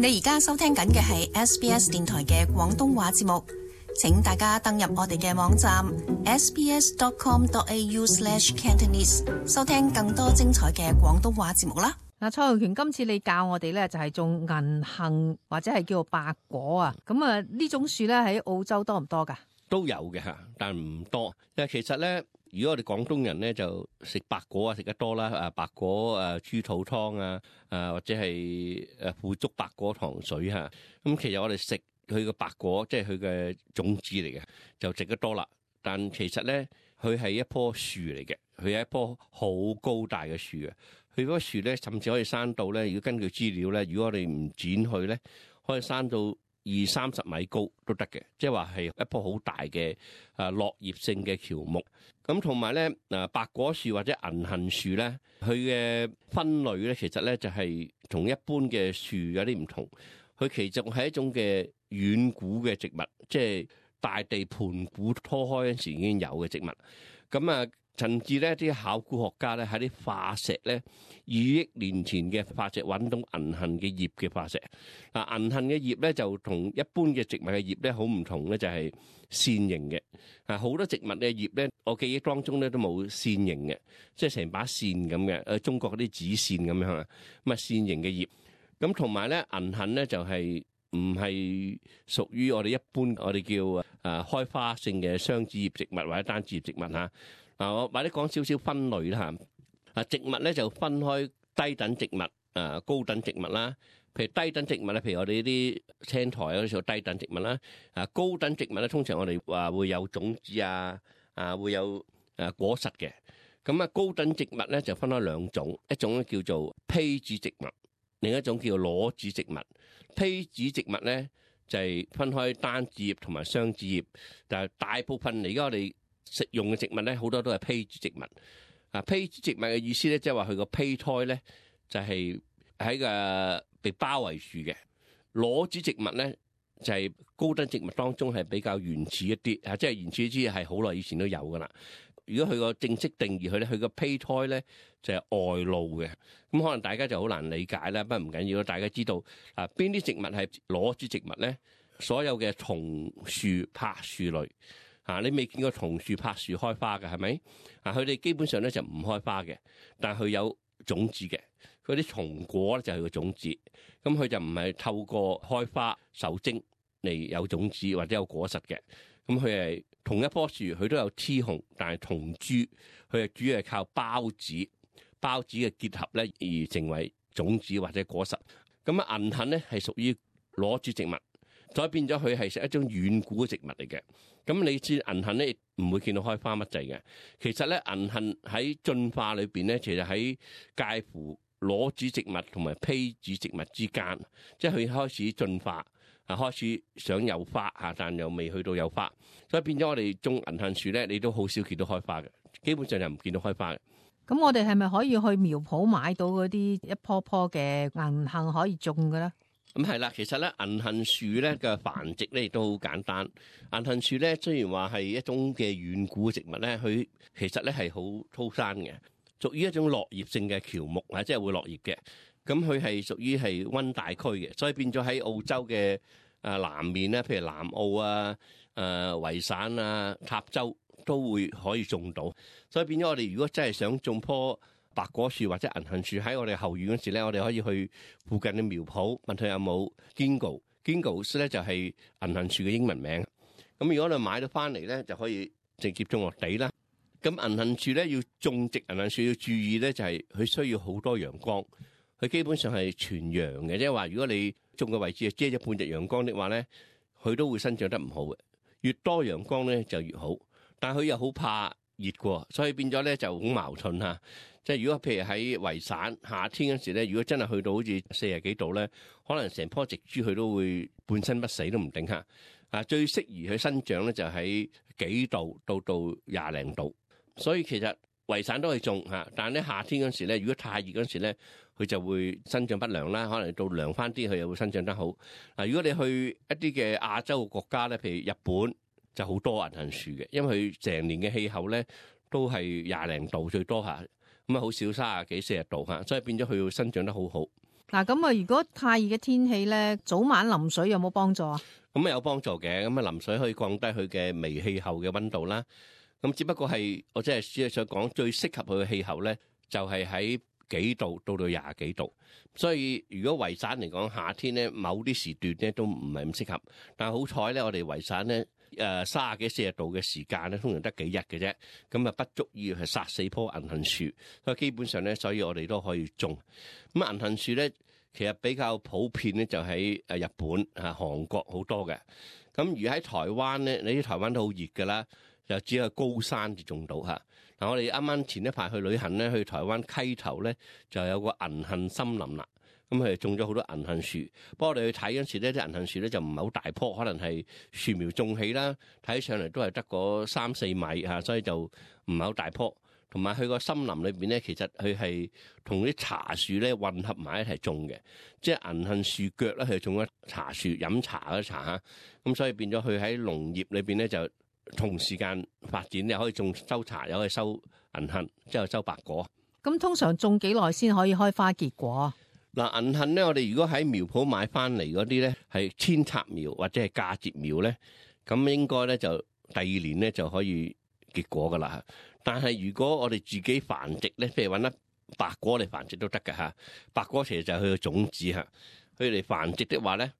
你而家收聽緊嘅係 SBS 電台嘅廣東話節目，請大家登入我哋嘅網站 sbs.com.au/cantonese 收聽更多精彩嘅廣東話節目啦。嗱，蔡浩權，今次你教我哋咧就係種銀杏或者係叫做白果啊，咁啊呢種樹咧喺澳洲多唔多噶？都有嘅吓，但唔多。因為其實咧，如果我哋廣東人咧就食白果啊，食得多啦。白果豬肚湯啊，或者係腐竹白果糖水吓。咁其實我哋食佢嘅白果，即係佢嘅種子嚟嘅，就食得多啦。但其實咧，佢係一棵樹嚟嘅，佢係一棵好高大嘅樹嘅。佢嗰個樹咧，甚至可以生到咧。如果根據資料咧，如果我哋唔剪佢咧，可以生到20-30米高都得嘅，即係話係一棵好大嘅落葉性嘅喬木。咁同埋咧白果樹或者銀杏樹咧，佢嘅分類咧，其實咧就係同一般嘅樹有啲唔同。佢其實係一種嘅遠古嘅植物，即係大地盤古拖開嗰陣時已經有嘅植物。咁甚至咧啲考古學家咧喺啲化石咧2億年前嘅化石揾到銀杏嘅葉嘅化石。銀杏嘅葉咧就同一般嘅植物嘅葉咧好唔同咧，就係線形嘅。好多植物嘅葉咧，我記憶當中咧都冇線形嘅，即係成把線咁嘅。中國嗰啲紙線咁樣啊，咁線形嘅葉。咁同埋咧銀杏咧就係唔係屬於我哋一般我哋叫開花性嘅雙子葉植物或者單子葉植物嚇。我或者講少少分類啦嚇。植物咧就分開低等植物、高等植物啦。譬如低等植物咧，譬如我哋呢啲青苔嗰啲叫低等植物啦。高等植物咧，通常我哋話會有種子會有果實嘅。咁高等植物咧就分開兩種，一種咧叫做披子植物，另一種叫做裸子植物。披子植物咧就係分開單子葉同埋雙子葉，但係大部分而家我哋食用嘅植物咧，好多都係披子植物。披子植物嘅意思咧，即係話佢個胚胎咧就係喺個被包圍住嘅。裸子植物咧就係高等植物當中係比較原始一啲，即係原始之係好耐以前都有噶啦。如果佢個正式定義佢咧，佢個胚胎咧就係外露嘅。咁可能大家就好難理解啦，不過唔緊要，大家知道邊啲植物係裸子植物咧？所有嘅松樹、柏樹類。你未見過松樹、柏樹開花嘅係咪？佢哋基本上咧就唔開花嘅，但係佢有種子嘅。嗰啲松果咧就係佢個種子，咁佢就唔係透過開花受精嚟有種子或者有果實嘅。咁佢係同一棵樹，佢都有雌雄，但係同株，佢係主要係靠孢子嘅結合咧而成為種子或者果實。咁銀杏咧係屬於裸子植物。所以變咗佢係一種遠古嘅植物嚟嘅。咁你知銀杏咧唔會見到開花乜滯嘅。其實咧銀杏喺進化裏邊咧，其實喺介乎裸子植物同埋披子植物之間，即係佢開始進化，開始想有花但又未去到有花。所以變咗我哋種銀杏樹咧，你都好少見到開花嘅，基本上就唔見到開花嘅。咁我哋係咪可以去苗圃買到嗰啲一棵棵嘅銀杏可以種嘅咧？咁係啦，其實咧銀杏樹咧嘅繁殖咧亦都好簡單。銀杏樹咧雖然話係一種嘅遠古植物咧，佢其實咧係好粗生嘅，屬於一種落葉性嘅喬木即係會落葉嘅。咁佢係屬於係溫帶區嘅，所以變咗喺澳洲嘅南面咧，譬如南澳維省塔州都會可以種到。所以變咗我哋如果真係想種棵白果樹或者銀杏樹喺我哋後院嗰時咧，我哋可以去附近嘅苗圃問佢有冇 Ginkgo 咧就係銀杏樹嘅英文名。咁如果你買到翻嚟咧，就可以直接種落地啦。咁銀杏樹咧要種植銀杏樹要注意咧，就係佢需要好多陽光。佢基本上係全陽嘅，即係話如果你種嘅位置係遮咗半日陽光的話咧，佢都會生長得唔好嘅。越多陽光咧就越好，但係佢又好怕熱嘅，所以變咗咧就好矛盾嚇。即係如果譬如喺維省夏天嗰時咧，如果真係去到好似40幾度咧，可能成棵植株佢都會半身不死都唔定嚇。最適宜去生長咧就喺幾度到20零度，所以其實維省都可以種嚇。但係咧夏天嗰時咧，如果太熱嗰時咧，佢就會生長不良啦。可能到涼翻啲，佢又會生長得好。如果你去一啲嘅亞洲嘅國家咧，譬如日本就好多銀杏樹嘅，因為佢成年嘅氣候咧都係20零度最多嚇。咁好少30幾40度嚇，所以變咗佢會生長得好好。嗱，咁啊，如果太熱嘅天氣咧，早晚淋水有冇幫助啊？咁有幫助嘅，咁啊淋水可以降低佢嘅微氣候嘅溫度啦。咁只不過係我只係想講最適合佢嘅氣候咧，就係喺幾度到廿幾度。所以如果維省嚟講，夏天咧某啲時段咧都唔係咁適合。但係好彩咧，我哋維省咧30幾40度嘅時間咧，通常得幾日嘅啫，咁啊不足以係殺死棵銀杏樹。所以基本上咧，所以我哋都可以種。咁銀杏樹咧，其實比較普遍咧，就喺日本啊、韓國好多嘅。咁而喺台灣咧，你啲台灣都好熱㗎啦，就只係高山至種到嚇。嗱，我哋啱啱前一排去旅行咧，去台灣溪頭咧就有個銀杏森林啦。咁佢哋種咗好多銀杏樹，不過我哋去睇嗰陣時咧，啲銀杏樹咧就唔係好大棵，可能係樹苗種起啦，睇上嚟都係得個3-4米嚇，所以就唔係好大棵。同埋佢個森林裏邊咧，其實佢係同啲茶樹咧混合埋一齊種嘅，即係銀杏樹腳咧，佢種咗茶樹飲茶嗰啲茶嚇，咁所以變咗佢喺農業裏邊咧就同時間發展，又可以收茶，又可以收銀杏，之後收白果。咁通常種幾耐先可以開花結果啊？嗱，銀杏咧，我哋如果喺苗圃買翻嚟嗰啲咧係扦插苗或者係嫁接苗咧，咁應該咧就第2年咧就可以結果噶啦。但係如果我哋自己繁殖咧，譬如揾粒白果嚟繁殖都得㗎嚇。白果其實就係佢嘅種子嚇，佢哋繁殖的話咧，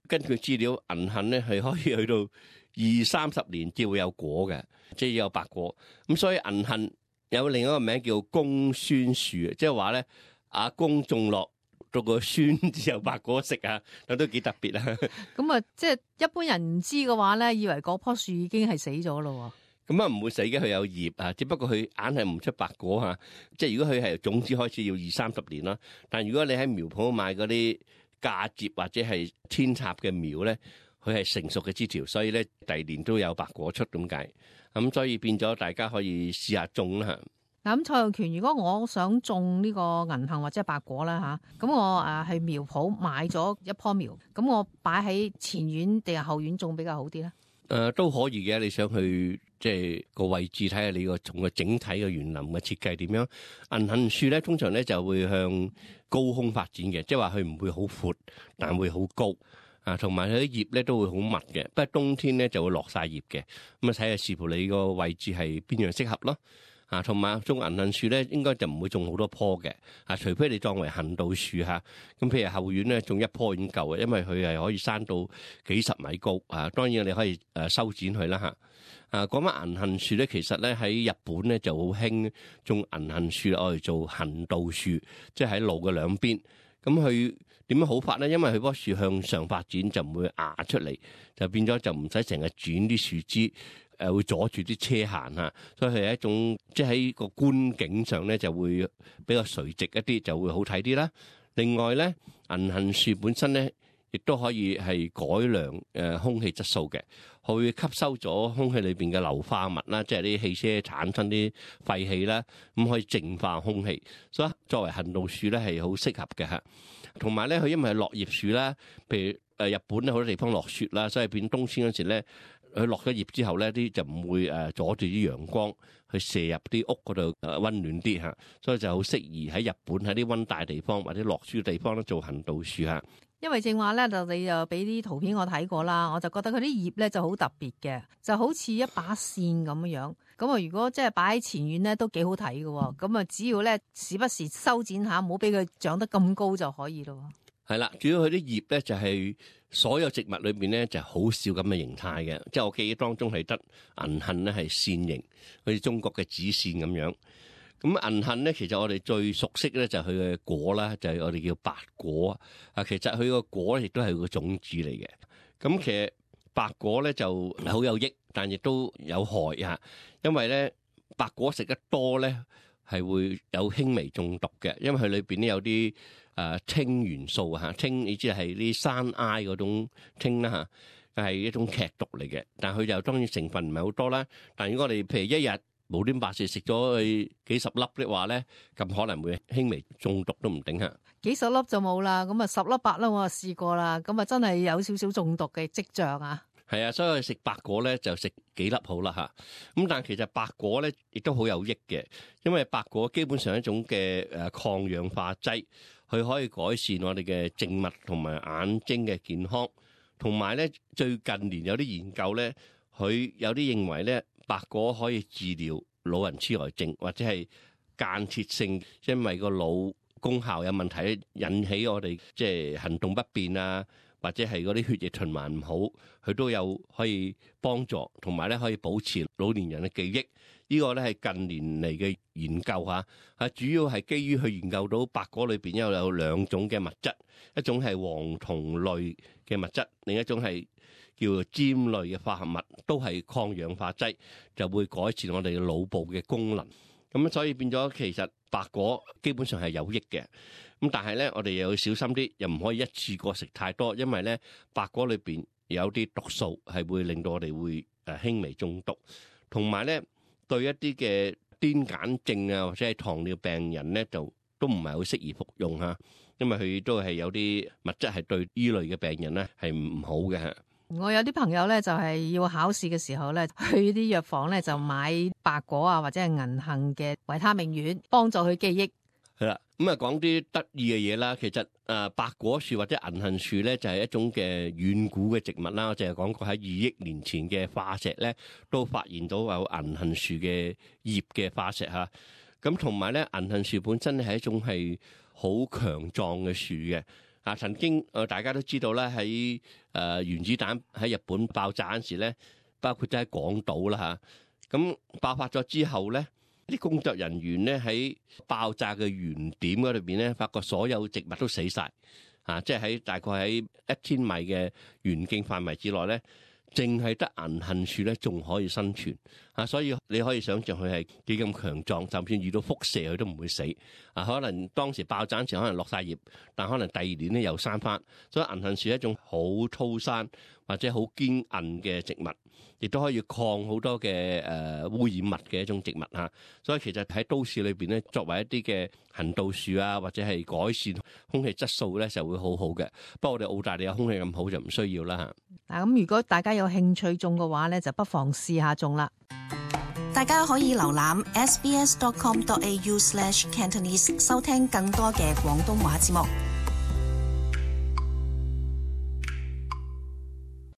根據資料，銀杏咧係可以去到20-30年至會有果嘅，即係有白果。咁所以銀杏有另一個名叫公孫樹，即係話咧阿公種落到個孫子有白果食啊，都幾特別啊。咁啊，即係一般人唔知嘅話咧，以為嗰棵樹已經係死咗咯。咁啊唔會死嘅，佢有葉啊，只不過佢硬係唔出白果嚇。即係如果佢係種子開始要20-30年啦，但如果你喺苗圃買嗰啲嫁接或者係扦插嘅苗咧，佢係成熟嘅枝條，所以咧第2年都有白果出咁解。咁所以變咗大家可以試下種啦。嗱，咁蔡浩權，如果我想種呢個銀杏或者白果啦嚇，咁我去苗圃買咗一棵苗，咁我擺喺前院定係後院種比較好啲咧？都可以嘅，你想去即係個位置睇下你個從個整體嘅園林嘅設計點樣。銀杏樹咧通常咧就會向高空發展嘅，即係話佢唔會好闊，但會好高啊，同埋佢啲葉咧都會好密嘅。不過冬天咧就會落晒葉嘅，咁啊睇下視乎你個位置係邊樣適合咯。啊，同埋種銀杏樹咧，應該就唔會種好多棵嘅，啊，除非你當為行道樹嚇。咁譬如後院咧，種一棵已經夠嘅，因為佢係可以生到幾十米高。啊，當然你可以修剪佢啦嚇。啊，講翻銀杏樹咧，其實咧喺日本咧就好興種銀杏樹嚟做行道樹，即係喺路嘅兩邊。咁佢點樣好法咧？因為佢棵樹向上發展就唔會壓出嚟，就變咗就唔使成日轉啲樹枝。會阻住啲車行嚇，所以係一種即係喺個觀景上咧就會比較垂直一啲，就會好睇啲啦。另外咧，銀杏樹本身咧亦都可以係改良空氣質素嘅，佢會吸收咗空氣裏邊嘅硫化物啦，即係啲汽車產生啲廢氣啦，咁可以淨化空氣。所以作為行道樹咧係好適合嘅嚇。同埋咧，佢因為係落葉樹啦，譬如日本咧好多地方落雪啦，所以變冬天嗰時咧。佢落咗葉之後咧，啲就唔會阻住啲陽光去射入啲屋嗰度溫暖啲嚇，所以就好適宜喺日本喺啲溫帶地方或者落雪嘅地方咧做行道樹嚇。因為正話咧，你就俾啲圖片我睇過啦，我就覺得佢啲葉咧就好特別嘅，就好似一把扇咁樣。咁啊，如果即係擺喺前院咧，都幾好睇嘅。咁啊，只要咧時不時修剪下，唔好俾佢長得咁高就可以咯。係啦，主要佢啲葉咧就係所有植物裏邊咧就好少咁嘅形態嘅，即係我記憶當中係得銀杏咧係扇形，好似中國嘅紙扇咁樣。咁銀杏咧，其實我哋最熟悉咧就係佢嘅果啦，就係我哋叫白果啊。其實佢個果亦都係個種子嚟嘅。咁其實白果咧就好有益，但亦都有害啊。因為咧白果食得多咧係會有輕微中毒嘅，因為佢裏邊咧有啲氫元素嚇，氫你知係啲山埃嗰種氫啦嚇，係一種劇毒嚟嘅。但係佢就當然成分唔係好多啦。但如果我哋譬如一日無端白事食咗佢幾十粒的話咧，咁可能會輕微中毒都唔定嚇。幾十粒就冇啦，咁啊10粒8粒我就試過啦，咁啊真係有少少中毒嘅跡象啊。係啊，所以食白果咧就食幾粒好啦嚇。咁但係其實白果咧亦都好有益嘅，因為白果基本上係一種嘅抗氧化劑。佢可以改善我哋嘅靜脈同埋眼睛嘅健康。同埋咧，最近年有啲研究咧，佢有啲認為咧，白果可以治療老人痴呆症，或者係間歇性因為個腦功效有問題引起我哋即係行動不便啊，或者係嗰啲血液循環唔好，佢都有可以幫助，同埋咧可以保持老年人嘅記憶。呢個咧係近年嚟嘅研究嚇，主要係基於去研究到白果裏邊有兩種嘅物質，一種係黃酮類嘅物質，另一種係叫做尖類嘅化合物，都係抗氧化劑，就會改善我哋嘅腦部嘅功能。咁所以變咗其實白果基本上係有益嘅。咁但係咧，我哋又要小心啲，又唔可以一次過食太多，因為咧白果裏邊有啲毒素係會令到我哋會輕微中毒，同埋咧對一啲嘅癲癇症啊或者係糖尿病人咧就都唔係好適宜服用嚇，因為佢都係有啲物質係對依類嘅病人咧係唔好嘅。我有啲朋友咧就係要考試嘅時候咧，去啲藥房咧就買白果啊或者係銀杏嘅維他命丸，幫助佢記憶。係啦，咁啊講啲得意嘅嘢啦。其實白果樹或者銀杏樹咧就係一種嘅遠古嘅植物啦。我淨係講過喺2億年前嘅化石咧，都發現到有銀杏樹嘅葉嘅化石嚇。咁同埋咧，銀杏樹本身係一種係好強壯嘅樹嘅。曾經大家都知道啦，喺原子彈喺日本爆炸嗰時咧，包括喺廣島啦嚇。咁爆發咗之後咧，啲工作人員咧喺爆炸嘅原點嗰裏邊咧，發覺所有植物都死晒，即係喺大概喺1000米嘅圓徑範圍之內咧，淨係得銀杏樹咧仲可以生存。所以你可以想象佢係幾咁強壯，就算遇到輻射佢都唔會死。可能當時爆炸前可能落晒葉，但可能第2年咧又生翻。所以銀杏樹係一種好粗生或者好堅韌嘅植物，亦都可以抗好多嘅污染物嘅一種植物嚇。所以其實喺都市裏邊咧，作為一啲嘅行道樹啊，或者係改善空氣質素咧，就會好好嘅。不過我哋澳大利亞空氣咁好就唔需要啦嚇。嗱，咁如果大家有興趣種嘅話咧，就不妨試下種啦。大家可以瀏覽 sbs.com.au/cantonese 收聽更多嘅廣東話節目。